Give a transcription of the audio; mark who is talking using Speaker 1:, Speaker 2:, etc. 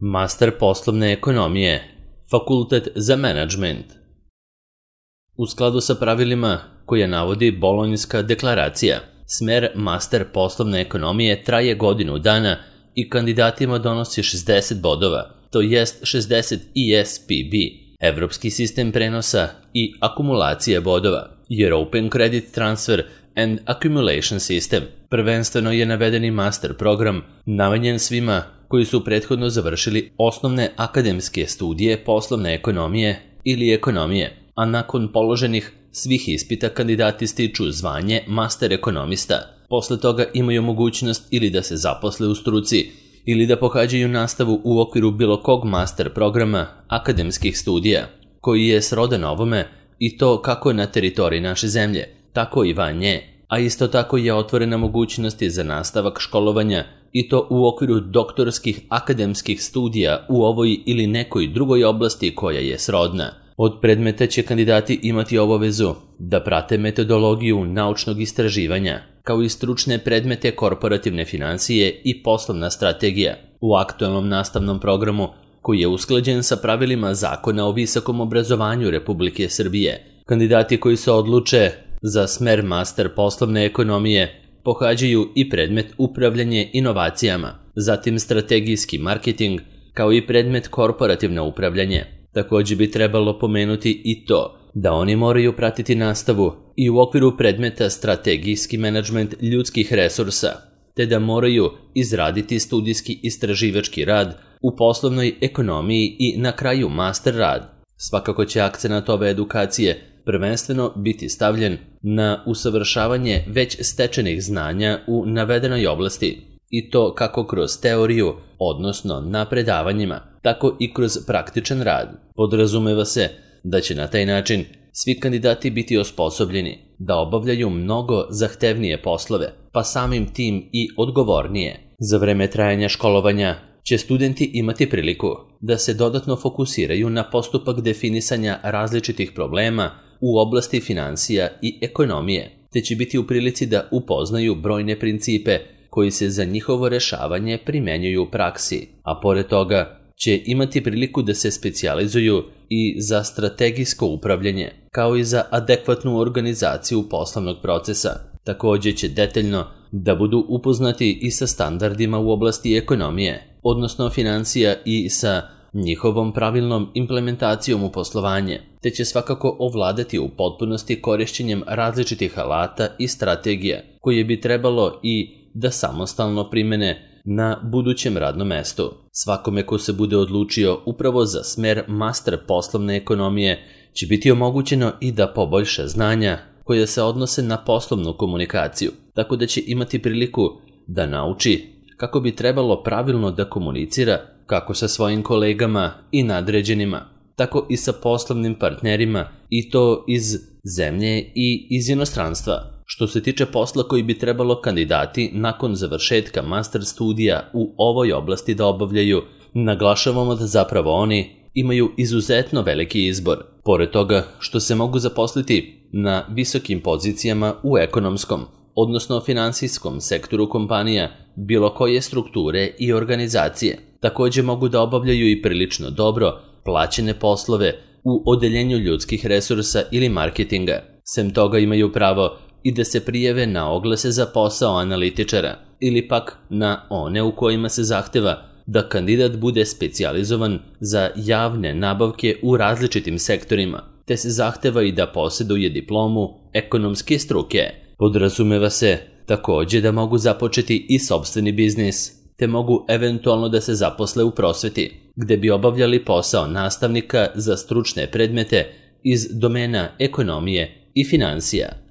Speaker 1: Master poslovne ekonomije, Fakultet za menadžment. U skladu sa pravilima koje navodi Bolonjska deklaracija, smer Master poslovne ekonomije traje godinu dana i kandidatima donosi 60 bodova, to jest 60 ESPB, Evropski sistem prenosa i akumulacije bodova, European Credit Transfer and Accumulation System. Prvenstveno je navedeni master program namenjen svima koji su prethodno završili osnovne akademske studije poslovne ekonomije ili ekonomije, a nakon položenih svih ispita kandidati stiču zvanje master ekonomista. Posle toga imaju mogućnost ili da se zaposle u struci ili da pohađaju nastavu u okviru bilo kog master programa akademskih studija, koji je srodan ovome i to kako na teritoriji naše zemlje, tako i van nje, a isto tako je otvorena mogućnosti za nastavak školovanja i to u okviru doktorskih akademskih studija u ovoj ili nekoj drugoj oblasti koja je srodna. Od predmeta će kandidati imati obavezu da prate metodologiju naučnog istraživanja, kao i stručne predmete korporativne finansije i poslovna strategija. U aktualnom nastavnom programu, koji je usklađen sa pravilima Zakona o visokom obrazovanju Republike Srbije, kandidati koji se odluče za smer master poslovne ekonomije pohađaju i predmet upravljanje inovacijama, zatim strategijski marketing, kao i predmet korporativno upravljanje. Također bi trebalo pomenuti i to da oni moraju pratiti nastavu i u okviru predmeta strategijski menadžment ljudskih resursa, te da moraju izraditi studijski istraživački rad u poslovnoj ekonomiji i na kraju master rad. Svakako će akcenat ove edukacije prvenstveno biti stavljen na usavršavanje već stečenih znanja u navedenoj oblasti, i to kako kroz teoriju, odnosno na predavanjima, tako i kroz praktičan rad. Podrazumeva se da će na taj način svi kandidati biti osposobljeni da obavljaju mnogo zahtevnije poslove, pa samim tim i odgovornije. Za vreme trajanja školovanja će studenti imati priliku da se dodatno fokusiraju na postupak definisanja različitih problema u oblasti finansija i ekonomije, te će biti u prilici da upoznaju brojne principe koji se za njihovo rešavanje primenjuju u praksi, a pored toga će imati priliku da se specijalizuju i za strategijsko upravljanje, kao i za adekvatnu organizaciju poslovnog procesa. Također će detaljno da budu upoznati i sa standardima u oblasti ekonomije, odnosno financija, i sa njihovom pravilnom implementacijom u poslovanje, te će svakako ovladati u potpunosti korišćenjem različitih alata i strategija koje bi trebalo i da samostalno primene na budućem radnom mestu. Svakome ko se bude odlučio upravo za smer master poslovne ekonomije će biti omogućeno i da poboljša znanja koje se odnose na poslovnu komunikaciju, tako da će imati priliku da nauči kako bi trebalo pravilno da komunicira kako sa svojim kolegama i nadređenima, tako i sa poslovnim partnerima, i to iz zemlje i iz inostranstva. Što se tiče posla koji bi trebalo kandidati nakon završetka master studija u ovoj oblasti da obavljaju, naglašavamo da zapravo oni imaju izuzetno veliki izbor. Pored toga što se mogu zaposliti na visokim pozicijama u ekonomskom, odnosno finansijskom sektoru kompanija bilo koje strukture i organizacije, također mogu da obavljaju i prilično dobro plaćene poslove u odeljenju ljudskih resursa ili marketinga. Sem toga imaju pravo i da se prijave na oglase za posao analitičara ili pak na one u kojima se zahteva da kandidat bude specijalizovan za javne nabavke u različitim sektorima, te se zahteva i da posjeduje diplomu ekonomske struke. Podrazumeva se također da mogu započeti i sopstveni biznis, te mogu eventualno da se zaposle u prosveti, gde bi obavljali posao nastavnika za stručne predmete iz domena ekonomije i finansija.